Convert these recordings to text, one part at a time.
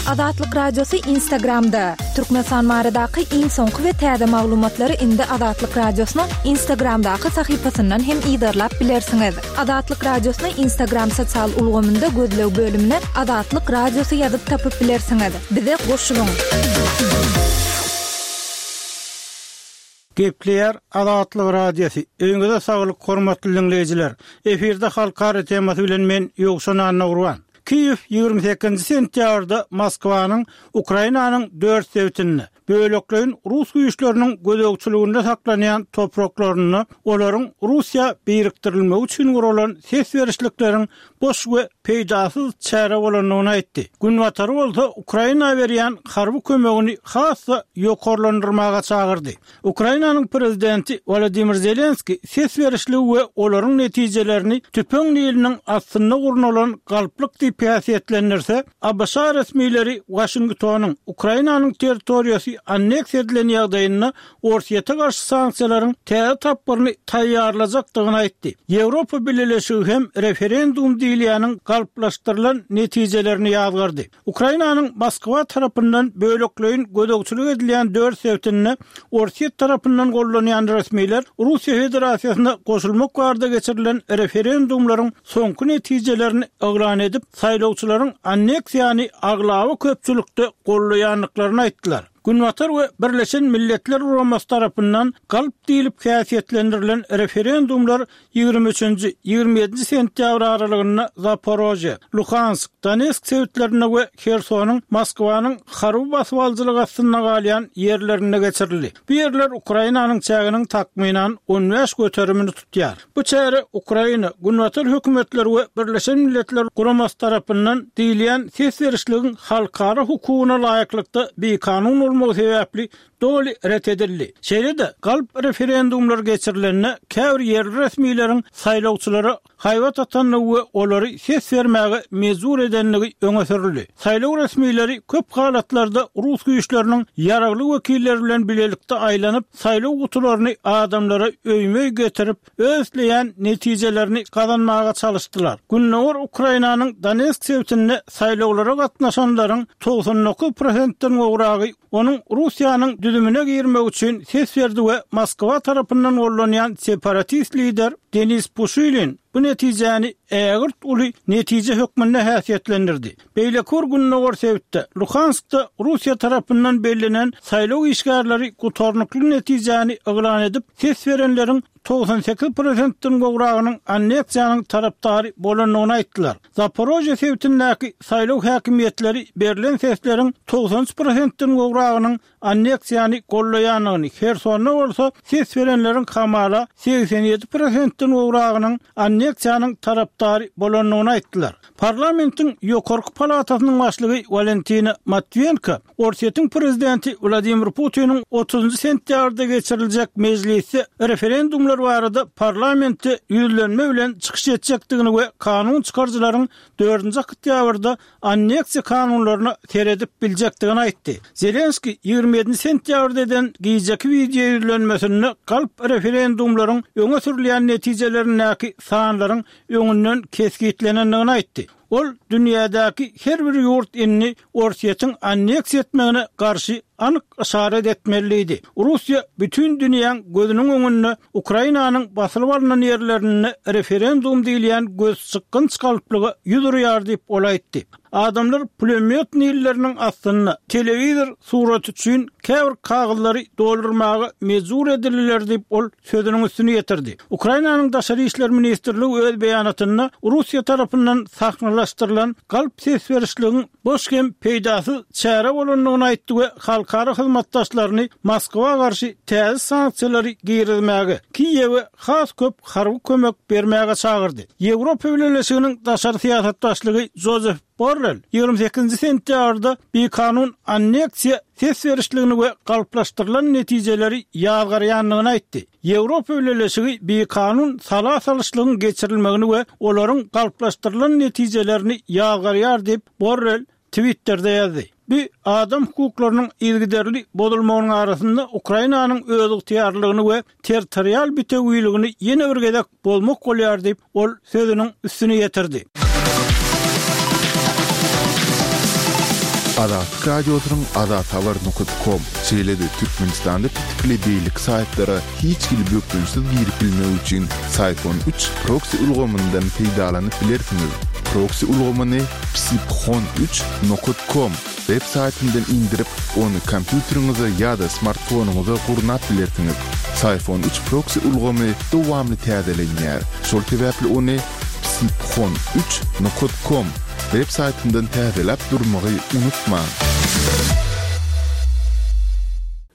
Azatlyk Radiosy Instagramda! Türkmenistan baradaky iň soňky we täze maglumatlary indi Azatlyk Radiosynyň Instagramdaky sahypasyndan hem yzarlap bilersiňiz. Azatlyk Radiosyny Instagram sosial ulgamynda gözleg bölümine Azatlyk Radiosy ýazyp tapyp bilersiňiz. Bize goşulyň! Gepleýär Azatlyk Radiosy. Öýüňize saglyk hormatly diňleýjiler. Efirde halkara temasy bilen men Ýowşan Annagurban. Kiýew 28-nji sentýabrda Moskwanyň Ukrainanyň dört sebitinde, bölekleýin rus güýçleriniň gözegçiliginde saklanýan topraklarynda olaryň Russiýa birikdirilmegi üçin guralan ses berişlikleriň boş we peýdasyz çäre bolandygyny aýtdy. Günbatary bolsa Ukraina berýän harby kömegini has-da ýokarlandyrmaga çagyrdy. Ukrainanyň prezidenti Wolodymyr Zelenskiý ses berişligi we olaryň netijelerini tüpeň niliniň astynda gurnalan galplyk diýip häsiýetlendirse, ABŞ resmileri Waşingtonyň Ukrainanyň territoriýasy anneksiýa edilen ýagdaýynda Orsýete garşy sanksiýalaryň täze tapgyryny taýýarlajakdygyny aýtdy. Ýewropa Bileleşigi hem referendum diýilýäniň galplaşdyrylan netijelerini ýazgardy. Ukrainanyň Moskwa tarapyndan bölekleýin gözegçilik edilýän dört sebitinde Orsýet tarapyndan gollanýan resmiler Russiýa Federasiýasyna goşulmak barada geçirilen referendumlaryň soňky netijelerini yglan edip, saýlawçylaryň anneksiýany aglaba köpçülikde gollaýandyklaryny aýtdylar. Günbatar we Birleşen Milletler Guramasy tarapyndan galp diýlip häsiýetlendirilen referendumlar 23-nji, 27-nji sentýabr aralygynda Zaporožýe, Luhansk, Donetsk sebitlerinde we Hersonyň Moskwanyň harby basybalyjylygy astynda galýan ýerlerinde geçirildi. Bu ýerler Ukrainanyň çäginiň takmynan 15 göterimini tutýar. Bu çäre Ukraina, Günbatar hökümetleri we Birleşen Milletler Guramasy tarapyndan diýilýän ses berişligiň halkara hukugyna laýyklykda bikanun bolmagy sebäpli doly ret edildi. Şeýle-de, galp referendumlar geçirilende käbir ýerli resmileriň saýlawçylara haýbat atandygy we olary ses bermäge mejbur edendigi öňe sürüldi. Saýlaw resmileri köp halatlarda rus güýçleriniň ýaragly wekilleri bilen bilelikde aýlanyp, saýlaw gutularyny adamlara öýme-öý getirip, öz isleýän netijelerini gazanmaga çalyşdylar. Gündogar Ukrainanyň Donetsk sebitinde saýlawlara gatnaşanlaryň 99 prosentden gowragy onuň Russiýanyň düzümine girmegi üçin ses berdi we Moskwa tarapyndan gollanýan separatist lider Denis Puşilin bu netijäni ägirt uly netije hökmünde häsiýetlendirdi. Beýleki bir gündogar sebitde, Luhanskda Russiýa tarapyndan bellenen saýlaw işgärleri gutarnykly netijäni yglan edip, ses berenleriň 98 prosentden gowragynyň anneksiýanyň tarapdary bolandygyny aýtdylar. Zaporožýe sebitindäki saýlaw häkimiýetleri berlen sesleriň 93 prosentden gowragynyň anneksiýany gollaýandygyny, Hersonda bolsa ses berenleriň hamala 87 prosentden gowragynyň anneksiýanyň tarapdary bolandygyny aýtdylar. Parlamentiň ýokarky palatasynyň başlygy Walentina Matwiýenko Orsýetiň prezidenti Wladimir Putiniň otuzynjy sentýabrda geçiriljek mejlisde referendumlar barada parlamentde ýüzlenme bilen çykyş etjekdigini we kanun çykaryjylaryň dördünji oktýabrda anneksiýa kanunlaryna seredip biljekdigini aýtdy. Zelenskiý 27 sentýabrda eden gijeki wideo ýüzlenmesinde galp referendumlaryň öňe sürülýän netijelerindäki sanlaryň öňünden kesgitlenendigini aýtdy. Ol dünýädäki her bir ýurt indi Orsýetiň anneksiýa etmegine garşy anyk yşarat etmeli diýdi. Russiýa bütin dünýäň gözüniň öňünde Ukrainanyň basylyp alnan ýerlerinde referendum diýilýän gözçykgynç galplyga ýüz urýar diýip, ol aýtdy. Adamlar pulemýot nilleriniň astynda telewizor suraty üçin käbir kagyzlary doldurmaga mejbur edildiler diýip, ol sözüniň üstüni ýetirdi. Ukrainanyň Daşary işler ministrligi öz beýanatynda Russiýa tarapyndan sahnalaşdyrylan galp ses berişligiň boş hem peýdasyz çäre bolandygyny aýtdy we halkara hyzmatdaşlaryny Moskwa garşy täze sanksiýalary girizmäge, Kiýewe has köp harby kömek bermäge çagyrdy. Ýewropa Bileleşiginiň daşary syýasat başlygy Jozef Borrel 28-nji sentýabrda bikanun anneksiýa ses berişligini we galplaşdyrylan netijeleri ýazgarýandygyny aýtdy. Ýewropa Bileleşigi bikanun sala salyşlygyň geçirilmegini we olaryň galplaşdyrylan netijelerini ýazgarýar diýip, Borrel Twitterde ýazdy. Bu adam hukuklarynyň yzygiderli bozulmagynyň arasynda Ukrainanyň özygtyýarlylygyny we territorial bitewiligini ýene bir gezek bozmak bolýar diýip, ol sözüniň üstüni ýetirdi. Azatlyk Radiosynyň azathabar nokat kom, şeýle-de Türkmenistanda petikli beýleki saýtlara hiç hili bökdençsiz girip bilmek üçin Syphon üç proksi ulgamyndan peýdalanyp bilersiňiz. Proksi ulgamyny psiphon üç nokat kom web saýtyndan indirip, ony kompýuteriňize ýa-da smartfonyňyza gurnap bilersiňiz. Syphon üç proksi ulgamy dowamly täzelenýär, şol sebäpli ony psiphon üç nokat kom web saýtyndan täzeläp durmagy unutmaň.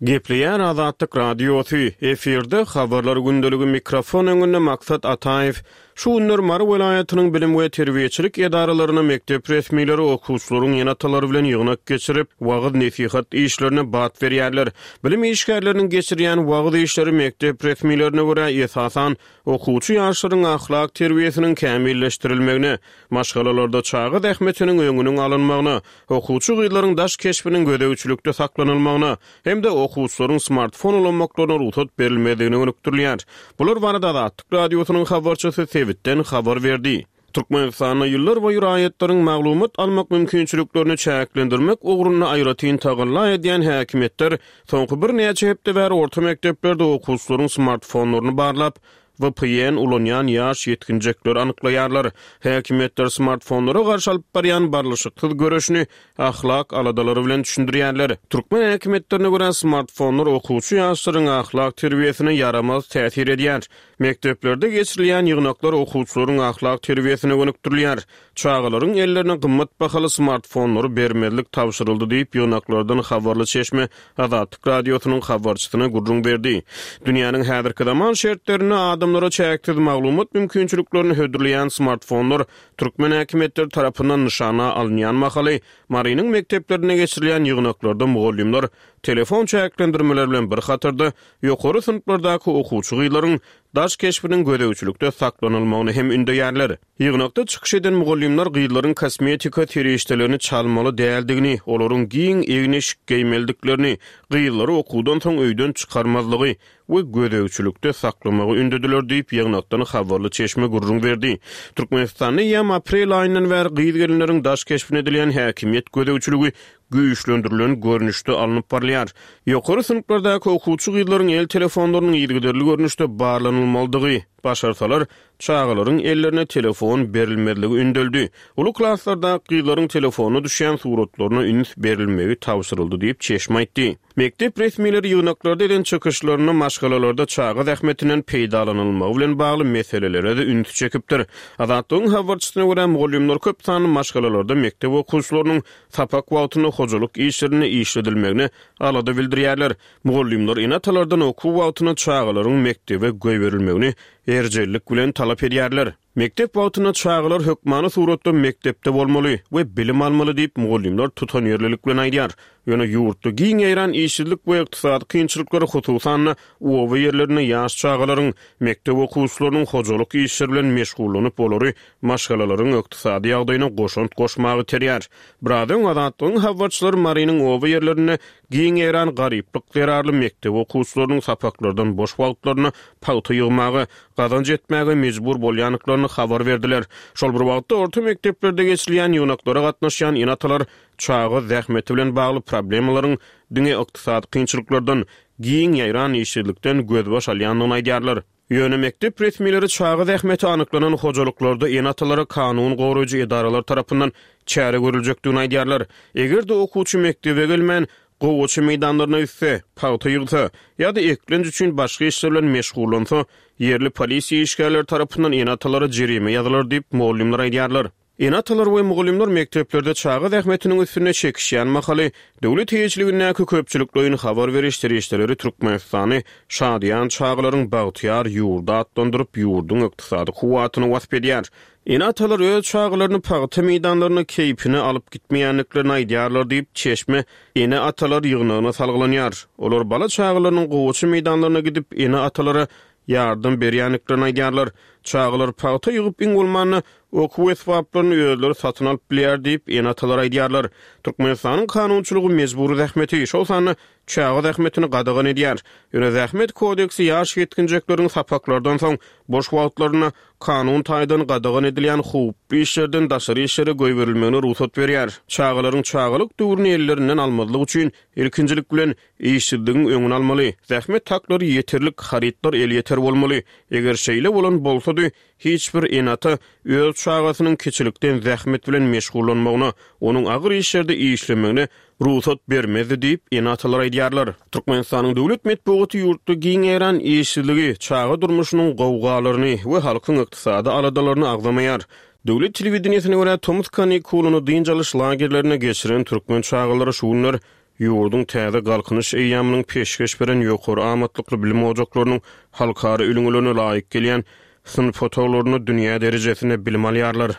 Gepleýär Azatlyk Radiosy, efirde Habarlar gündeligi mikrofon öňünde Maksat Ataýew. Şu günler Mary welaýatynyň bilim we terbiýeçilik edaralarynda mekdep resmileri okuwçylaryň ene-atalary bilen ýygnak geçirip, wagyz-nesihat işlerine bat berýärler. Bilim işgärleriniň geçirýän wagyz işleri mekdep resmilerine görä, esasan, okuwçy ýaşlaryň ahlak terbiýesiniň kämilleşdirilmegine, maşgalalarda çaga zähmetiniň öňüniň alynmagyna, okuwçy gyzlaryň daş keşbiniň gözegçilikde saklanylmagyna hem-de okuwçylaryň smartfon ulanmaklaryna rugsat berilmezligine gönükdirilýär. Bular barada Azatlyk Radiosynyň habarçysy sebitden habar berdi. Türkmenistanda ýyllarboýy raýatlaryň maglumat almak mümkinçiliklerini çäklendirmek ugrunda aýratyn tagalla edýän häkimiýetler soňky birnäçe hepde bäri orta mekdeplerde okuwçylaryň smartfonlaryny barlap, VPN ulanýan ýaş ýetginjekleri anyklaýarlar. Häkimiýetler smartfonlara garşy alyp barýan barlyşyksyz göreşini ahlak aladalary bilen düşündirýärler. Türkmen häkimiýetlerine görä, smartfonlar okuwçy ýaşlaryň ahlak terbiýesine ýaramaz täsir edýär. Mekdeplerde geçirilýän ýygnaklar okuwçylaryň ahlak terbiýesine gönükdirilýär. Çagalaryň ellerine gymmat bahaly smartfonlary bermezlik tabşyryldy diýip, ýygnaklardan habarly çeşme Azatlyk Radiosynyň habarçysyna gürrüň berdi. Dünýäniň häzirki zaman şertlerinde adamlara çäksiz maglumat mümkinçiliklerini hödürleýän smartfonlar türkmen häkimiýetleri tarapyndan nyşana alynýan mahaly, Marynyň mekdeplerinde geçirilýän ýygnaklarda mugallymlar telefon çäklendirmeleri bilen bir hatarda, ýokary synplardaky okuwçy gyzlaryň daş keşbiniň gözegçilikde saklanylmagyny hem ündeýärler. Ýygnakda çykyş eden mugallymlar gyzlaryň kosmetika serişdelerini çalmaly däldigini, olaryň giň egin-eşik geýmelidiklerini, gyzlary okuwdan soň öýden çykarmazlygy we gözegçilikde saklamagy ündediler diýip, ýygnakdan habarly çeşme gürrüň berdi. Türkmenistanda eýýäm aprel aýyndan bäri gyz-gelinleriň daş keşbine edilýän häkimiýet gözegçiligi güýçlendirilen görnüşde alnyp barylýar. Ýokary synplardaky okuwçy gyzlaryň el telefonlarynyň yzygiderli görnüşde barlanylmalydygy, başarsalar, çagalaryň ellerine telefon berilmezligi ündeldi. Uly klaslardaky gyzlaryň telefonyna düşýän suratlaryna üns berilmegi tabşyryldy diýip, çeşme aýtdy. Mekdep resmileri ýygnaklarda eden çykyşlarynda maşgalalarda çaga zähmetinden peýdalanylmagy bilen bagly meselelere-de ünsi çekipdir. Azatlygyň habarçysyna görä, mugallymlar köp sanly maşgalalarda mekdep okuwçylarynyň sapak wagtynda hojalyk işlerinde işledilmegine alada bildirýärler. Mugallymlar ene-atalardan okuw wagtynda çagalaryň mekdebe goýberilmegini erjellik bilen talap edýärler. Mekdep wagtynda çagalar hökmany suratda mekdepde bolmaly we bilim almaly diýip, mugallymlar tutanýerlilik bilen aýdýar. Ýöne ýurtda giň ýaýran işsizlik we ykdysady kynçylyklar, hususan-da, oba ýerlerinde ýaş çagalaryň, mekdep okuwçylarynyň hojalyk işleri bilen meşgullanyp, olary maşgalalaryň ykdysady ýagdaýyna goşant goşmaga iterýär. Biraz öň Azatlygyň habarçylary Marynyň oba ýerlerinde Giň ýaýran garyplyk zerarly mekdep okuwçylarynyň sapaklardan boş wagtlarynda pagta ýygmaga, gazanç etmäge mejbur bolýandyklaryny habar berdiler. Şol bir wagtda, orta mekdeplerde geçirilýän ýygnaklara gatnaşýan ene-atalar çaga zähmeti bilen bagly problemalaryň diňe ykdysady kynçylyklardan, giň ýaýran işsizlikden gözbaş alýandygyny aýdýarlar. Ýöne mekdep resmileri çaga zähmeti anyklanan hojalyklarda ene-atalara kanun goraýjy edaralar tarapyndan çäre görüljekdigini aýdýarlar. Eger-de okuwçy mekdebe gelmän, gowaça meýdanlaryna gitse, pagta ýygsa ýa-da eklenç üçin başga işler bilen meşgullansa, ýerli polisiýa işgärleri tarapyndan ene-atalara jerime ýazylar diýip, mugallymlar aýdýarlar. Ene-atalar we mugallymlar mekdeplerde çaga zähmetiniň üstünde çekişýän mahaly, döwlet eýeçiligindäki köpçülikleýin habar beriş serişdeleri Türkmenistany şadyýan çagalaryň bagtyýar ýurdy atlandyryp, ýurduň ykdysady kuwwatyny wasp edýär. Ene-atalar öz çagalaryny pagta meýdanlaryna keýpine alyp gitmeýändiklerini aýdýarlar diýip, çeşme ene-atalar ýygnagyna salgylanýar. Olar bala-çagalarynyň gowaça meýdanlaryna gidip, ene-atalara ýardam berýändiklerini aýdýarlar. Çagalar pagta ýygyp, iň bolmanda, okuw esbaplaryny özleri satyn alyp bilýär diýip, ene-atalar aýdýarlar. Türkmenistanyň kanunçylygy mejbury zähmeti, şol sanda çaga zähmetini gadagan edýär. Ýöne Zähmet kodeksi ýaş ýetginjekleriň sapaklardan soň boş wagtlarynda kanun taýdan gadagan edilýän howply işlerden daşary işlere goýberilmegine rugsat berýär. Çagalaryň çagalyk döwrüni ellerinden almazlyk üçin, ilkinjilik bilen, işsizligiň öňüni almaly, zähmet haklary ýeterlik, harytlar elýeter bolmaly. Eger şeýle bolan bolsady, hiç bir ene-ata öz çagasynyň kiçilikden zähmet bilen meşgullanmagyna, onuň agyr işlerde işlemegine rugsat bermezdi diýip, ene-atalar aýdýarlar. Türkmenistanyň döwlet metbugaty ýurtda giň ýaýran işsizligi, çaga durmuşynyň gowgalaryny we halkyň ykdysady aladalaryny agzamaýar. Döwlet telewideniýesine görä, tomus kanikulyny dynç alyş lagerlerinde geçiren türkmen çagalary şu günler ýurduň täze Galkynyş eýýamynyň peşgeş beren ýokary amatlykly bilim ojaklarynyň halkara ülňülerine laýyk gelýän synp otaglarynda dünýä derejesinde bilim alýarlar.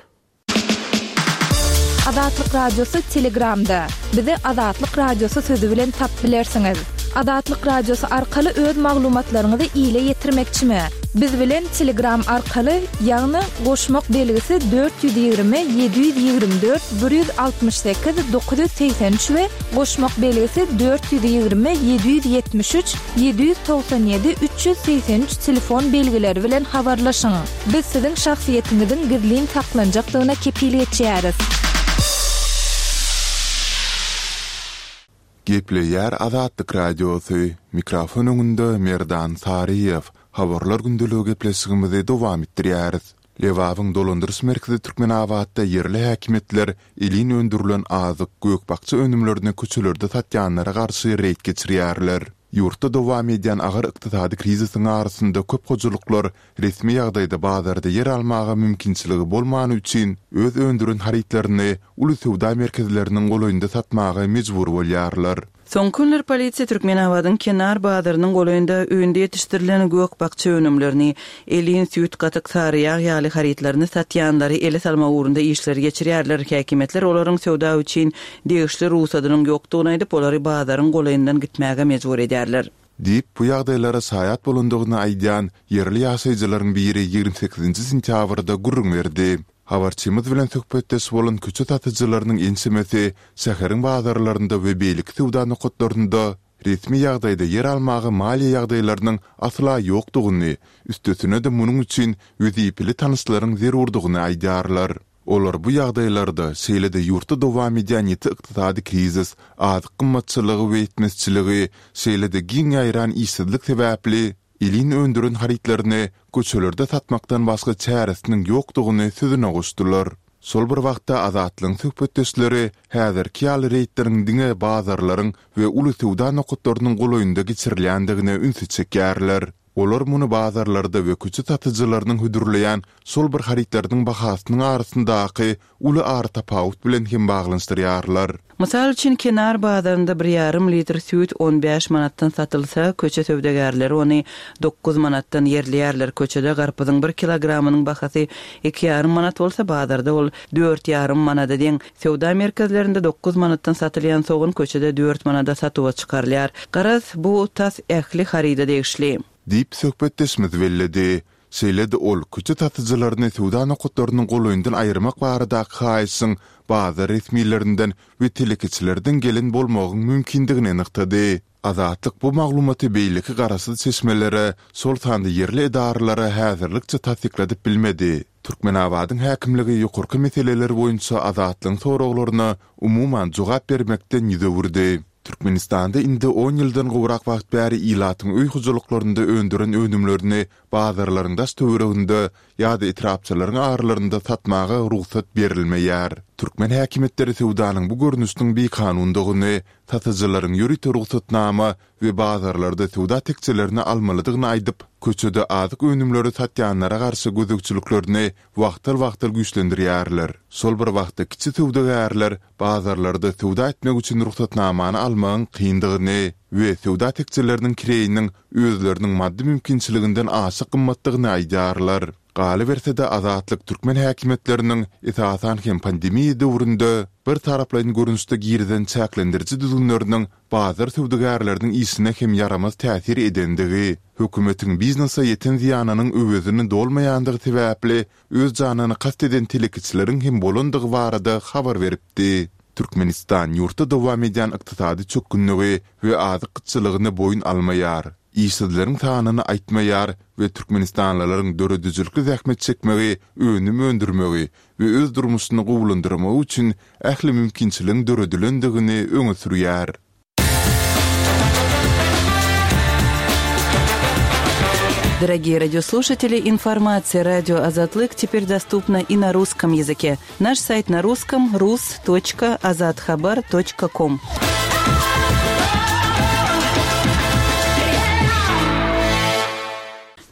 Azatlyk Radiosy Telegramda. Bizi Azatlyk Radiosy sözi bilen tap bilersiňiz. Azatlyk Radiosy arkaly öz maglumatlaryňyzy ile ýetirmekçimi? Biz bilen Telegram arkaly, ýagny goşmak belgisi 420 724 168 983 we goşmak belgisi 420 773 797 383 telefon belgileri bilen habarlaşyň. Biz siziň şahsyýetiňiziň gizlin saklanjakdygyna kepil geçýäris. Gepleýär Azatlyk Radiosy, mikrofon öňünde Merdan Saryýew. Habarlar gündeligi gepleşigimizi dowam etdirýäris. Lebabyň dolandyryş merkezi Türkmenabatda ýerli häkimiýetler elin öndürilen azyk, gök-bakja önümlerini köçelerde satýanlara garşy reýd geçirýärler. Ýurtda dowam edýän agyr ykdysady krizisiň arasynda köp hojalyklar resmi ýagdaýda bazarda ýer almaga mümkinçiligi bolmany üçin öz öndüren harytlaryny uly söwda merkezleriniň golaýynda satmaga mejbur bolýarlar. Soňky günler polisiýa Türkmenabadyň Kenar bazarynyň golaýynda öýünde ýetişdirilen gök-bakja önümlerini, elin, süýt, gatyk, sary ýag ýaly harytlaryny satýanlary ele salmak ugrunda işleri geçirýärler. Häkimiýetler olaryň söwda üçin degişli rugsadynyň ýokdugyny aýdyp, olary bazaryň golaýyndan gitmäge mejbur edýärler. Diýip, bu ýagdaýlara şaýat bolandygyny aýdýan ýerli ýaşaýjylaryň biri 28 sentýabrda gürrüň berdi. Habarçymyz bilen söhbetdeş bolan köçe satyjylarynyň ençemesi şäheriň bazarlarynda we beýleki söwda nokatlarynda resmi ýagdaýda ýer almaga maliýe ýagdaýlarynyň asla ýokdugyny, üstesine-de munuň üçin wezipeli tanyşlaryň zerurdygyny aýdýarlar. Olar bu ýagdaýlarda, şeýle-de ýurtda dowam edýän ýiti ykdysady krizis, azyk gymmatçylygy we ýetmezçiligi, şeýle-de giň ýaýran işsizlik sebäpli elin öndüren harytlaryny köçelerde satmakdan başga çäresiniň ýokdugyny sözüne goşdular. Şol bir wagtda Azatlygyň söhbetdeşleri häzirki ýaly reýdleriň diňe bazarlaryň we uly söwda nokatlarynyň golaýynda geçirilýändigine ünsi çekýärler. Olar muny bazarlarda we köçe satyjylarynyň hödürleýän şol bir harytlarynyň bahasynyň arasyndaky uly aratapawut bilen hem baglanyşdyrýarlar. Mysal üçin, Kenar bazarynda bir ýarym litr süýt on bäş manatdan satylsa, köçe söwdagärleri ony dokuz manatdan ýerleýärler. Köçede garpyzyň bir kilogramynyň bahasy iki ýarym manat bolsa, bazarda ol dört ýarym manada deň. Söwda merkezlerinde dokuz manatdan satylýan sogan köçede dört manada satuwa çykarylýar. Garaz, bu tas ähli haryda degişli. Diýip, söhbetdeşimiz belledi. Şeýle-de ol köçe satyjylaryny söwda nokatlarynyň golaýyndan aýyrmak baradaky haýyşyň bazar resmilerinden we telekeçilerden gelen bolmagyň mümkindigini nygtady. Azatlyk bu maglumaty beýleki garaşsyz çeşmelere, şol sanda ýerli edaralara häzirlikçe tassykladyp bilmedi. Türkmenabadyň häkimligi ýokarky meseleler boýunça Azatlygyň soraglaryna umuman jogap bermekden ýüz öwürdi. Türkmenistanda indi on ýyldan gowrak wagt bäri ilatyň öý hojalyklarynda öndüren önümlerini bazarlaryň daş-töwereginde ýa-da etrapçalaryň aralarynda satmaga rugsat berilmeýär. Türkmen häkimiýetleri söwdanyň bu görnüşiniň bikanundygyny, satyjylaryň ýörite rugsatnama we bazarlarda söwda tekjelerini almalydygyny aýdyp, köçede azyk önümleri satýanlara garşy gözegçiliklerini wagtal-wagtal güýçlendirýärler. Şol bir wagtda kiçi söwdagärler bazarlarda söwda etmek üçin rugsatnamany almagyň kyndygyny we söwda tekjeleriniň kireýiniň özleriniň maddy mümkinçiliginden aşa gymmatdygyny aýdýarlar. Galyberse-de, Azatlyk türkmen häkimiýetleriniň, esasan hem pandemiýa döwründe, bir taraplaýyn görnüşde girizen çäklendiriji düzgünleriniň bazar söwdagärleriniň işine hem ýaramaz täsir edendigi, hökümetiň biznese ýeten zyýanynyň öwezini dolmaýandygy sebäpli öz janyna kast eden telekeçileriň hem bolandygy barada habar beripdi. Türkmenistan ýurtda dowam edýän ykdysady çökgünligi we azyk gytçylygyny boýun almaýar, işsizleriň sanyny aýtmaýar we türkmenistanlylaryň döredijilikli zähmet çekmegi, önüm öndürmegi we öz durmuşyny gowulandyrmagy üçin ähli mümkinçiligiň döredilendigini öňe sürýär. Дорогие радиослушатели, информация радио Азатлык теперь доступна и на русском языке. Наш сайт на русском rus.azathabar.com.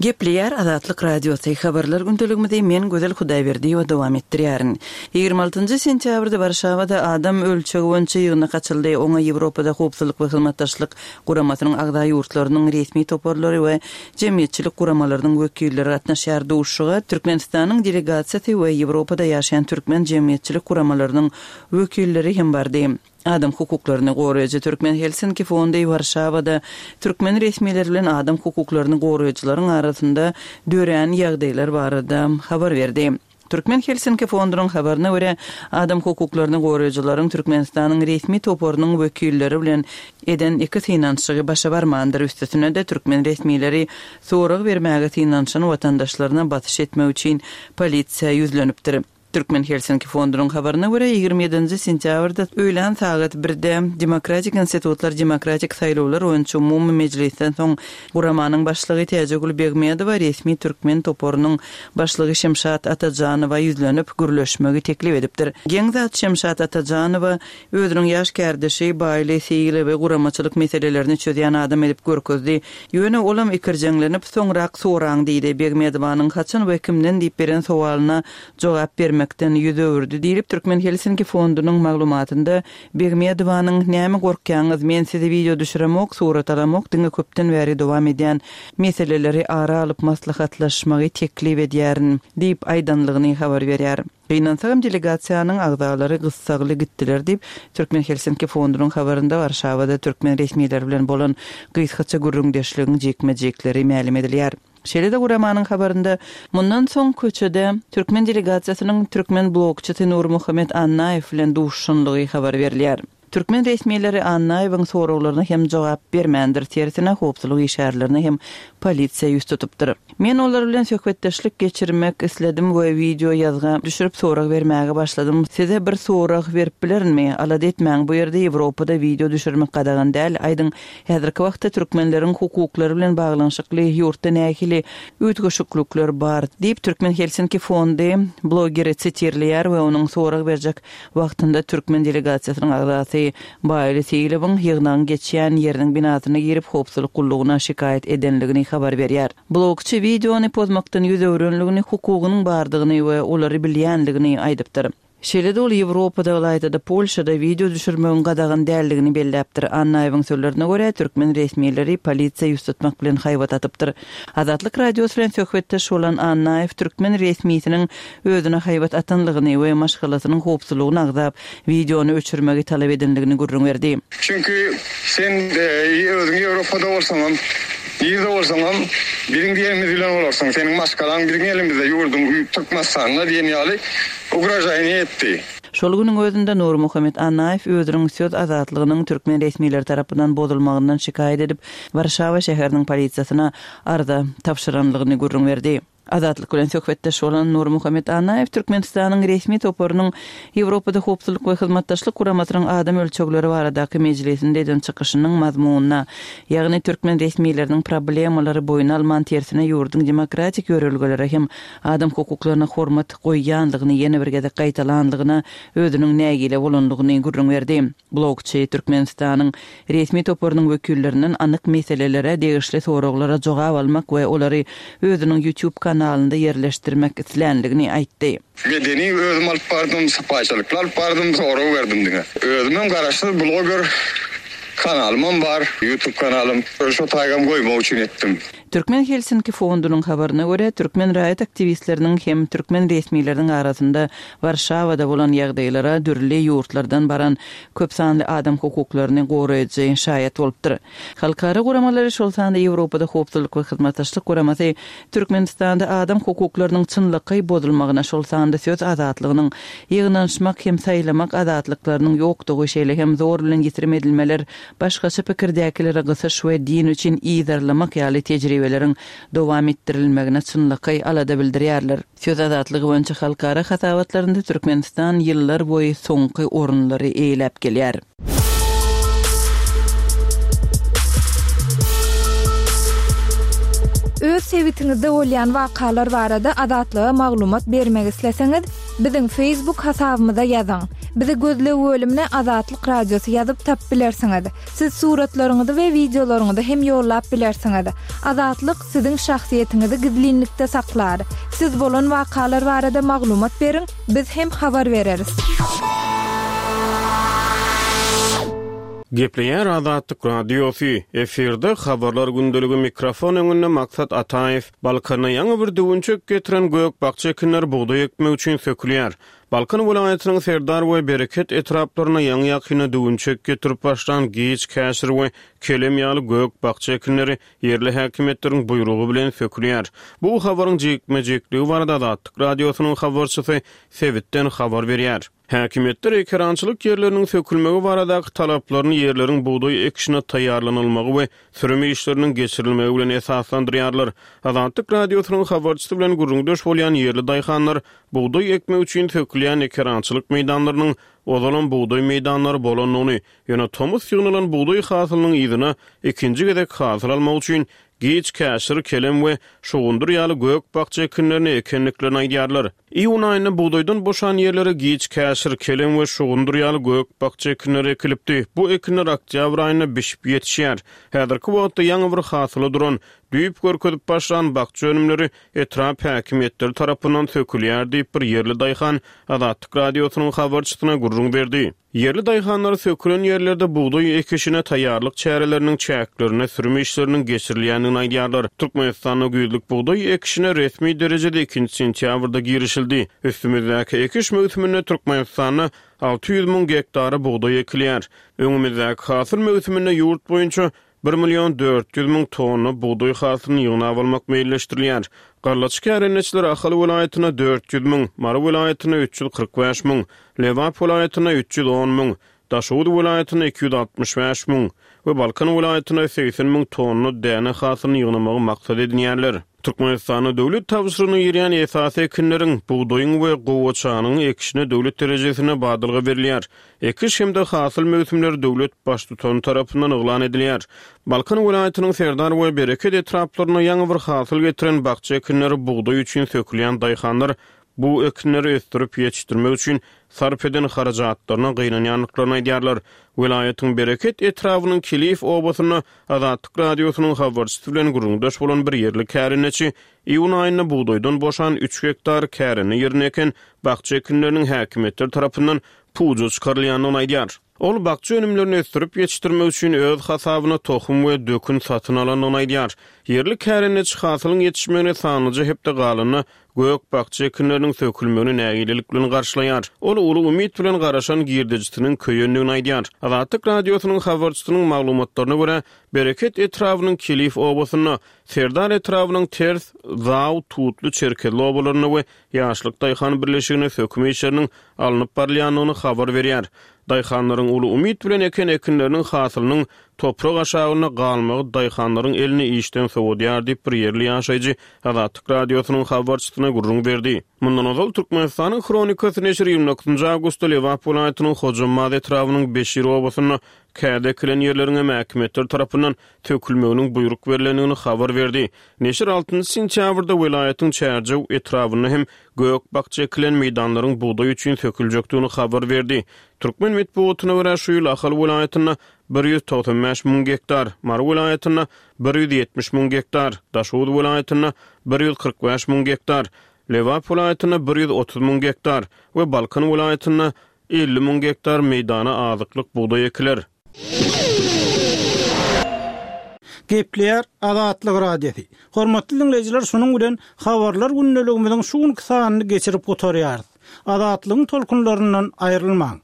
Gepleýär Azatlyk Radiosy, Habarlar gündeligimizi men Gözel Hudaýberdiýewa dowam etdirýärin. 26-njy sentýabrda Warşawada adam ölçegi boýunça ýygnak açyldy. Oňa Ýewropada Howpsuzlyk we Hyzmatdaşlyk Guramasynyň agza ýurtlarynyň resmi toparlary we jemgyýetçilik guramalarynyň wekilleri gatnaşýar. Duşuşyga Türkmenistanyň delegasiýasy we Ýewropada ýaşaýan türkmen jemgyýetçilik guramalarynyň wekilleri hem bardy. Adam hukuklaryny goraýjy Türkmen Helsinki fondy Warşawada türkmen resmileri bilen adam hukuklaryny goraýjylaryň arasynda dörän ýagdaýlar barada habar berdi. Türkmen Helsinki fondunyň habaryna görä, adam hukuklaryny goraýjylaryň Türkmenistanyň resmi toparynyň wekilleri bilen eden iki synanyşygy başa barmandyr, üstesine-de türkmen resmileri sorag bermäge synanyşan watandaşlaryna basyş etmek üçin polisiýa ýüzlenipdir. Türkmen Helsinki fondunyň habaryna görä, 27-nji sentýabrda öýlän sagat birde Demokratik institutlar demokratik saýlawlar boýunça umumy mejlisden soň guramanyň başlygy Täjigül Begmedowa resmi türkmen toparynyň başlygy Şemşat Atajanowa ýüzlenip, gürleşmegi teklip edipdir. Geň zat, Şemşat Atajanowa özüniň ýaş kärdeşi Baýly Seýilowy guramaçylyk meselelerini çözýän adam edip görkezdi. Ýöne olam ikirjeňlenip, soňrak soraň diýdi. Begmedowanyň haçan we kimden diýip beren sowalyna jogap bermekden ýüz öwürdi diýlip, Türkmen Helsinki fondunyň maglumatynda Begmedowanyň Näme gorkýaňyz, men sizi wideo düşüremok, surat alamok, diňe köpden bäri dowam edýän meseleleri ara alyp maslahatlaşmagy teklip edýärin diýip aýdanlygyny habar berýär. Gynansagam delegasiýanyň agzalary gyssagly gitdiler diýip, Türkmen Helsinki fondunyň habarynda Warşawada türkmen resmileri bilen bolan gysgaça gürrüňdeşligiň jikme-jikleri mälim edilýär. Şeýle-de guramanyň habarynda mundan soň köçede türkmen delegasiýasynyň türkmen blogçysy Nurmuhammet Annaýew bilen duşuşanlygy habar berilýär. Türkmen resmileri Annaýewiň soraglaryna hem jogap bermändir, tersine howpsuzlyk işgärlerine hem polisiýa ýüz tutupdyr. Men olar bilen söhbetdeşlik geçirmek isledim we wideo ýazga düşürip sorag bermäge başladym. Size bir sorag berip bilerinmi? Alada etmäň, bu ýerde Ýewropada wideo düşürmek gadagan däl. Aýdyň, häzirki wagtda türkmenleriň hukuklary bilen baglanyşykly ýurtda nähili üýtgeşiklikler bar? diýip, Türkmen Helsinki fondy blogeri sitirleýär we onuň sorag berjek Wagtynda türkmen delegasiýasynyň agzasy Baýly Seýilowyň ýygnagyň geçýän ýeriniň binasyna girip, howpsuzlyk gullugyna şikaýat edenligini habar berýär. Blogçy wideony pozmakdan ýüz öwrenligini, hukugynyň bardygyny we olary bilýänligini aýdypdyr. Şeýle-de ol Ýewropada, ylaýta-da Polşada wideo düşürmegiň gadagan däldigini belläpdir. Annaýewiň sözlerine görä, türkmen resmileri polisiýa ýüz tutmak bilen haýbat atypdyr. Azatlyk Radiosy bilen söhbetdeş bolan Annaýew türkmen resmisiniň özüne haýbat atanlygyny we maşgalasynyň howpsuzlygyny agzap, wideony öçürmegi talap edenligini gürrüň berdi. Çünki sen özüň Ýewropada bolsaňam, nirde bolsaňam biziň diýenimiz bilen bolarsyň, seniň maşgalaň biziň elimizde, ýurduň Türkmenistanda diýen ýaly ugrožaýniýe etdi. Şol günüň özünde Nurmuhammet Annaýew özüniň söz azatlygynyň türkmen resmileri tarapyndan bozulmagyndan şikaýat edip, Warşawa şäheriniň polisiýasyna arza tabşyranlygyny gürrüň berdi. Azatlyk bilen söhbetdeş bolan Nurmuhammet Annaýew Türkmenistanyň resmi toparynyň Ýewropada Howpsuzlyk we Hyzmatdaşlyk Guramasynyň adam ölçegleri baradaky mejlisinde eden çykyşynyň mazmunyna, ýagny türkmen resmileriniň problemalary boýun alman, tersine ýurduň demokratik ýörelgelere hem adam hukuklaryna hormat goýýandygyny ýene bir gezek gaýtalandygyna özüniň nägile bolandygyny gürrüň berdi. Blogçy Türkmenistanyň resmi toparynyň wekillerinden anyk meselelere degişli soraglara jogap almak we olary özüniň YouTube kanalynda ýerleşdirmek islänligini aýtdy. Medeni özüm alyp bardym, sypaýçylykly alyp bardym, sorag berdim diňe. Özümem garaşsyz bloger kanalymam bar, YouTube kanalym. Şo taýgam goýmak üçin etdim. Türkmen Helsinki fondunyň habaryna görä, türkmen raýat aktiwistleriniň hem türkmen resmileriniň arasynda Warşawada bolan ýagdaýlara dürli ýurtlardan baran köp sanly adam hukuklaryny goraýjy şaýat bolupdyr. Halkara guramalary, şol sanda Ýewropada Howpsuzlyk we Hyzmatdaşlyk Guramasy Türkmenistanda adam hukuklarynyň çynlakaý bozulmagyna, şol sanda söz azatlygynyň, ýygnanyşmak hem saýlamak azatlyklarynyň ýokdugy, şeýle hem zor bilen ýitirim edilmeler, başgaça pikirdäkilere gysyş we din üçin yzarlamak ýaly tejribeleriň dowam etdirilmegine çynlakaý alada bildirýärler. Söz azatlygy boýunça halkara hasabatlarynda Türkmenistan ýyllar boýy soňky orunlary eýeläp gelýär. Öz sebitiňizde bolýan wakalar barada Azatlyga maglumat bermek isleseňiz, biziň Facebook hasabymyza ýazyň. Bizi gözleg bölümine Azatlyk Radiosy ýazyp tapyp bilersiňiz. Siz suratlaryňyzy we wideolaryňyzy hem ýollap bilersiňiz. Azatlyk siziň şahsyýetiňizi gizlinlikde saklar. Siz bolan wakalar barada maglumat beriň, biz hem habar bereris. Gepleýär Azatlyk Radiosy, efirde Habarlar gündeligi mikrofon öňünde Maksat Ataýew. Balkanda ýaňy bir düwünçek getiren gök-bakja ekinler bugdaý ekmek üçin sökülýär. Balkan welaýatynyň Serdar we Bereket etraplarynda ýaňy-ýakynda düwünçek getirip başlan giç käşir we kelem ýaly gök-bakja ekinleri ýerli häkimiýetleriň buýrugy bilen sökülýär. Bu habaryň jikme-jikligi barada Azatlyk Radiosynyň habarçysy sebitden habar berýär. Häkimiýetler ekerançylyk ýerleriniň sökülmegi baradaky talaplaryny ýerleriň bugdaý ekişine taýýarlanylmagy we sürüm işleriniň geçirilmegi bilen esaslandyrýarlar. Azatlyk Radiosynyň habarçysy bilen gürrüňdeş bolýan ýerli daýhanlar bugdaý ekmek üçin sökülýän ekerançylyk meýdanlarynyň ozalam bugdaý meýdanlary bolandygyny, ýöne tomus ýygnalan bugdaý hasylynyň yzyna ikinji gezek hasyl almak üçin giç käşir, kelem we şugundyr ýaly gök-bakja ekinlerini ekendiklerini aýdýarlar. Iýun aýynda bugdaýdan boşan ýerlere giç käşir, kelem we şugundyr ýaly gök-bakja ekinleri ekilipdi. Bu ekinler oktýabr aýynda bişip ýetişýär. Häzirki wagtda ýaňy bir hasyla duran, düýp görkezip başlan bakja önümleri etrap häkimiýetleri tarapyndan sökülýär diýip, bir ýerli daýhan Azatlyk Radiosynyň habarçysyna gürrüň berdi. Ýerli daýhanlar sökülen ýerlerde bugdaý ekişine taýýarlyk çäreleriniň çäklerinde sürüm işleriniň geçirilýändigini aýdýarlar. Türkmenistanda güýzlük bugdaý ekişine resmi derejede ikinji sentýabrda girişildi. Üstümizdäki ekiş möwsüminde Türkmenistanda 600 müň gektara bugdaý ekilýär. Öňümizdäki hasyl möwsüminde ýurt boýunça Bir million 400 müň tonna bugdaý hasylyny ýygnap almak meýilleşdirilýär. Gallaçy kärendeçiler Ahal welaýatynda 400 müň, Mary welaýatynda 345 müň, Lebap welaýatynda 310 müň, Daşoguz welaýatynda 265 müň we Balkan welaýatynda 80 müň tonna däne hasylyny ýygnamagy maksat edinýärler. Türkmenistanda döwlet tabşyrygyna girýän esasy ekinleriň, bugdaýyň we gowaçanyň ekişine döwlet derejesinde badalga berilýär. Ekiş hem-de hasyl möwsümleri döwlet Baştutany tarapyndan yglan edilýär. Balkan welaýatynyň Serdar we Bereket etraplarynda ýaňy bir hasyl getiren bakja ekinleri bugdaý üçin sökülýän daýhanlar bu ekinleri ösdürip ýetişdirmek üçin sarp eden harajatlaryna gynanýandyklaryny aýdýarlar. Welaýatyň Bereket etrabynyň Kiliýew obasynda Azatlyk Radiosynyň habarçysy bilen gürrüňdeş bolan bir ýerli kärendeçi iýun aýynda bugdaýdan boşan üç gektar kärende ýerinde eken bakja ekinleriniň häkimiýetler tarapyndan puja çykarylýandygyny aýdýar. Ol bakja önümlerini ösdürip ýetişdirmek üçin öz hasabyna tohum we dökün satyn alandygyny aýdýar. Ýerli kärendeçi hasylyň ýetişmegine sanlyja hepde galanda gök-bakja ekinleriniň sökülmegini nägilelik bilen garşylaýar. Ol uly umyt bilen garaşan girdejisiniň köýendigini aýdýar. Azatlyk Radiosynyň habarçysynyň maglumatlaryna görä, Bereket etrabynyň Kelif obasynda, Serdar etrabynyň Ters, Zaw, Tutly, Çerkezli obalarynda we Ýaşlyk daýhan birleşiginde söküm işleriniň alnyp barylýandygyny habar berýär. Daýhanlaryň uly umyt bilen eken ekinleriniň hasylynyň toprak aşagynda galmagy daýhanlaryň elini işden sowadýar diýip, bir ýerli ýaşaýjy Azatlyk Radiosynyň habarçysyna gürrüň berdi. Mundan ozal, Türkmenistanyň Hronikasy neşiri ýigrimi dokuzynjy awgustda Lebap welaýatynyň Hojambaz etrabynyň Beşir obasynda kädi ekilen ýerleriň hem häkimiýetler tarapyndan sökülmeginiň buýruk berlendigini habar berdi. Neşir altynjy sentýabrda welaýatyň Çärjew etrabynda hem gök-bakja ekilen meýdanlaryň bugdaý üçin söküljekdigini habar berdi. Türkmen metbugatyna görä, şu ýyl Ahal welaýatynda 195 müň gektar, Mary welaýatynda 170 müň gektar, Daşoguz welaýatynda 145 müň gektar, Lebap welaýatynda 130 müň gektar we Balkan welaýatynda 50 müň gektar meýdana azyklyk bugdaý ekiler. Gepleýär Azatlyk Radiosy. Hormatly diňleýjiler şunuň bilen Habarlar gündeligimiziň şu günki sanyny geçirip gutarýarys. Azatlygyň tolkunlaryndan aýrylmaň.